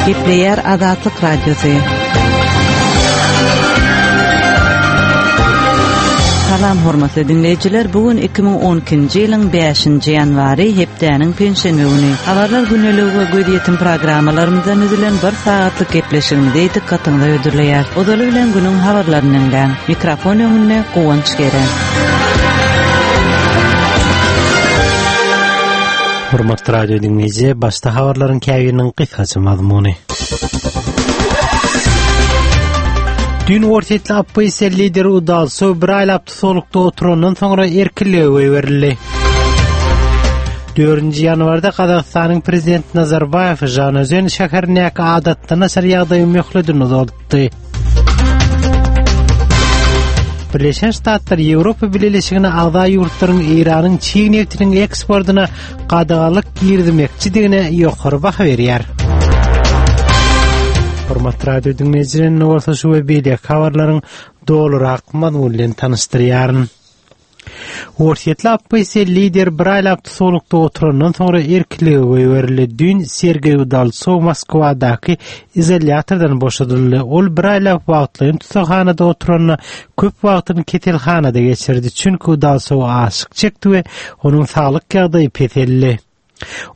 Gepleýär Azatlyk Radiosy. Salam hormatly diňleýjiler, bu gün 2012-nji ýylyň 5-nji ýanwary, hepdäniň penşenbe güni. Habarlar gündeligi we gözýetim programmalarymyzdan düzülen bir sagatlyk gepleşigimizi dykgatyňyza hödürleýäris. Ozaly bilen günüň habarlaryny diňläň. Mikrofon öňünde Guwanç Gere. Hormatly radio diňleýji, başda habarlaryň käbiriniň gysgaça mazmuny. Düýn orsýetli oppozisiýa lideri Udalsow bir aýlap tussaglykda oturandan soňra erkinlige goýberildi. 4-nji ýanwarda Gazagystanyň prezidenti Nazarbaýew Žanaözen şäherindäki adatdan daşary ýagdaýyň möhledini uzaltdy. Birleşen Ştatlar Ýewropa Bileleşigine agza ýurtlaryň Eýranyň çig nebtiniň eksportyna gadaganlyk girizmekçidigine ýokary baha berýär. Hormatly radio diňleýjiler, indi bolsa şu we beýleki habarlaryň dolurak mazmuny bilen tanyşdyrýaryn. Orsýetli oppozisiýa lider bir aýlap tussaglykda oturandan soňra erkinlige goýberildi. Düýn Sergeý Udaltsow Moskwadaky izolýatordan boşadyldy. Ol bir aýlap wagtlaýyn tussaghanada oturanda köp wagtyny keselhanada geçirdi. Çünki Udaltsow açlyk çekdi we onuň saglyk ýagdaýy peseldi.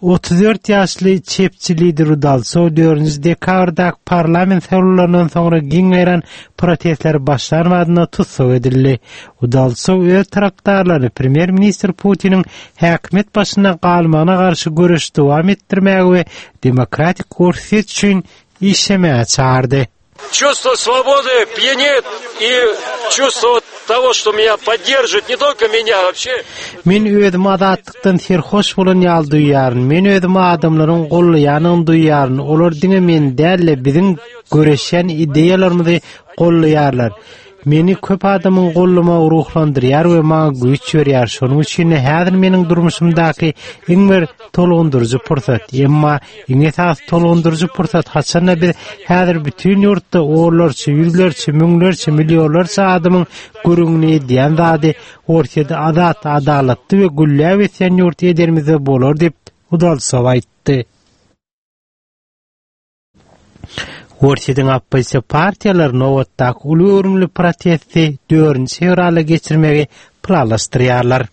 34 ýaşly çepçi lider Udaltsow dördünji dekabrdaky parlament saýlawlaryndan soňra giň ýaýran protestler başlan badyna tussag edildi. Udaltsow öz tarapdarlaryny premýer-ministr Putiniň häkimiýet başynda galmagyna garşy göreşi dowam etdirmäge we demokratik Orsýet üçin işlemäge çagyrdy. Чувство свободы пьянит и чувство того, что меня поддерживает, не только меня, вообще. Men özümi azatlykdan serhoş bolan ýaly duýýaryn. Men özümi adamlaryň gollaýanyny duýýaryn. Olar diňe meni däl-de, biziň göreşýän ideýalarymyzy gollaýarlar. Meni köp adamyň gollamagy ruhlandyrýar we maňa güýç berýär. Şonuň üçin-de häzir meniň durmuşymdaky iň bir tolgundyryjy pursat. Emma iň esasy tolgundyryjy pursat haçanda biz häzir bütin ýurtda onlarça, ýüzlerçe, müňlerçe, millionlarça adamyň gürrüňini edýän zady Orsýeti azat, adalatly we gülläp ösýän ýurt edenimizde bolar diýip, Udaltsow aýtdy. Orsýetiň oppozisiýa partiýalary nobatdaky uly göwrümli protesti dördünji fewralda geçirmegi planlaşdyrýarlar.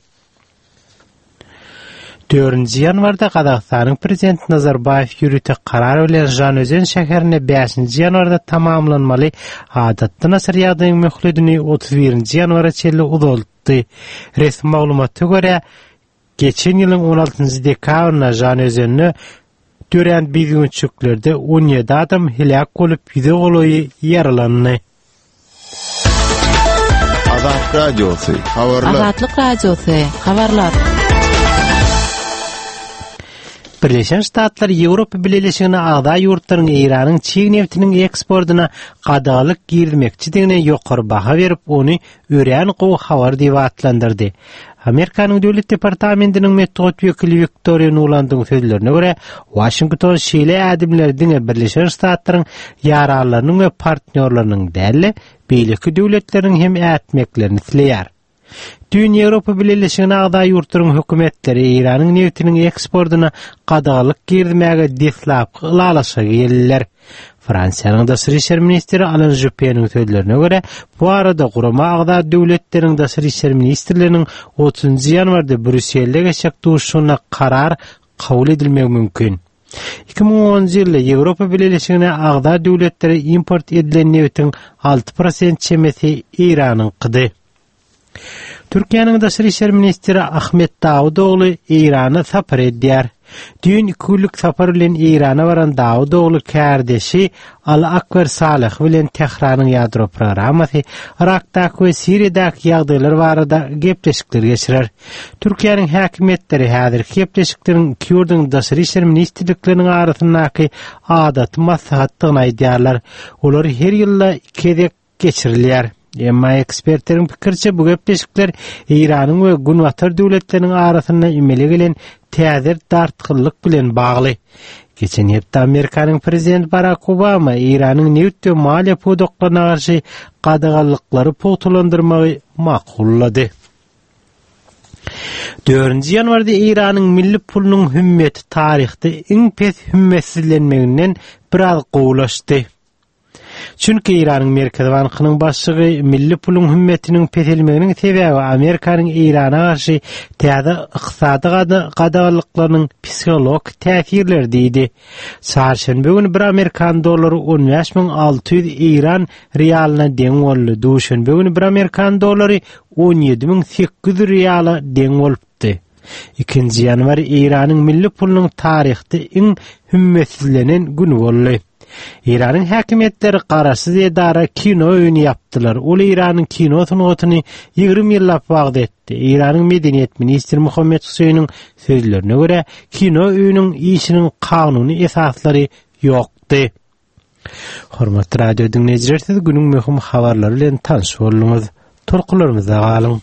Dördünji ýanwarda Gazagystanyň prezidenti Nazarbaýew ýörite karar bilen Žanözen şäherinde bäşinji ýanwarda tamamlanmaly adatdan daşary ýagdaýyň möhledini 31-nji ýanwara çenli uzaltdy. Resmi maglumata görä, Geçen ýylyň on altynjy dekabrynda Žanaözende dörän bidüwünçiklerde 17 adam heläk bolup, ýüze golaýy ýaralandy. Azat Radiosy, habarlar. Azatlyk Radiosy, habarlar. Birleşen Ştatlar Ýewropa Bileleşigine agza ýurtlaryň Eýranyň çig nebtiniň eksportyna gadaganlyk girizmekçidigine ýokary baha berip, ony örän gowy habar diýip atlandyrdy. Amerikanyň Döwlet departamentiniň metbugat wekili Wiktoriýa Nulandyň sözlerine görä, Waşington şeýle ädimleri diňe Birleşen Ştatlaryň ýaranlarynyň we partnýorlarynyň däl-de, beýleki döwletleriň hem ätmeklerini isleýär. Düýn Ýewropa Bileleşigine agza ýurtlaryň hökümetleri Eýranyň nebtiniň eksportyna gadaganlyk girizmäge deslapky ylalaşyga geldiler. Fransiýanyň daşary işler ministri Alan Župpeniň sözlerine görä, bu barada gurama agza döwletleriň daşary işler ministrleriniň otuzynjy ýanwarda Brýusselde geçjek duşuşygynda karar kabul edilmegi mümkin. 2010-njy ýylda Ýewropa Bileleşigine agza döwletlere import edilen nebitiň 6 prosent çemesi Eýranyňkydy. Türkiýäniň daşary işler ministri Ahmet Dawutogly Eýrana sapar edýär. Düýn iki günlük sapar bilen Eýrana baran Dawutogly kärdeşi Ali Akber Saleh bilen Tähranyň ýadro programmasy, Yrakdaky we Siriýadaky ýagdaýlar barada gepleşikler geçirer. Türkiýäniň häkimiýetleri häzirki gepleşikleriň iki ýurduň daşary işler ministrlikleriniň arasyndaky adaty maslahatdygyny aýdýarlar. Olar her ýylda iki gezek geçirilýär. Emma ekspertleriň pikiriçe bu gepleşikler Eýranyň we Günbatar döwletleriniň arasynda emele gelen täze dartgynlyk bilen bagly. Geçen hepde Amerikanyň prezidenti Barak Obama Eýranyň nebit we maliýe pudaklaryna garşy gadaganlyklary pugtalandyrmagy makullady. Dördünji ýanwarda Eýranyň milli pulunyň hümmeti taryhda iň pes hümmetsizlenmeginden biraz gowulaşdy. Çünki Eýranyň Merkezi bankynyň başlygy milli puluň hümmetiniň peselmeginiň sebäbi Amerikanyň Eýrana garşy täze ykdysady gadaganlyklarynyň psihologik täsirleri diýdi. Çarşenbe güni bir amerikan dollary 15600 eýran rialyna deň boldy. Duşenbe güni bir amerikan dollary 17800 riala deň bolupdy. Ikinji ýanwar Eýranyň milli pulunyň taryhda iň hümmetsizlenen güni boldy. Eýranyň häkimiýetleri garaşsyz edara kino öýüni ýapdylar. Ol Eýranyň kino sungatyny 20 ýyllap wagyz etdi. Eýranyň medeniýet ministri Muhammet Huseýniň sözlerine görä, kino öýüniň işiniň kanuny esaslary ýokdy. Hormatly radio diňleýjiler, siz günüň möhüm habarlary bilen tanyş bolduňyz. Tolkunlarymyzda galyň.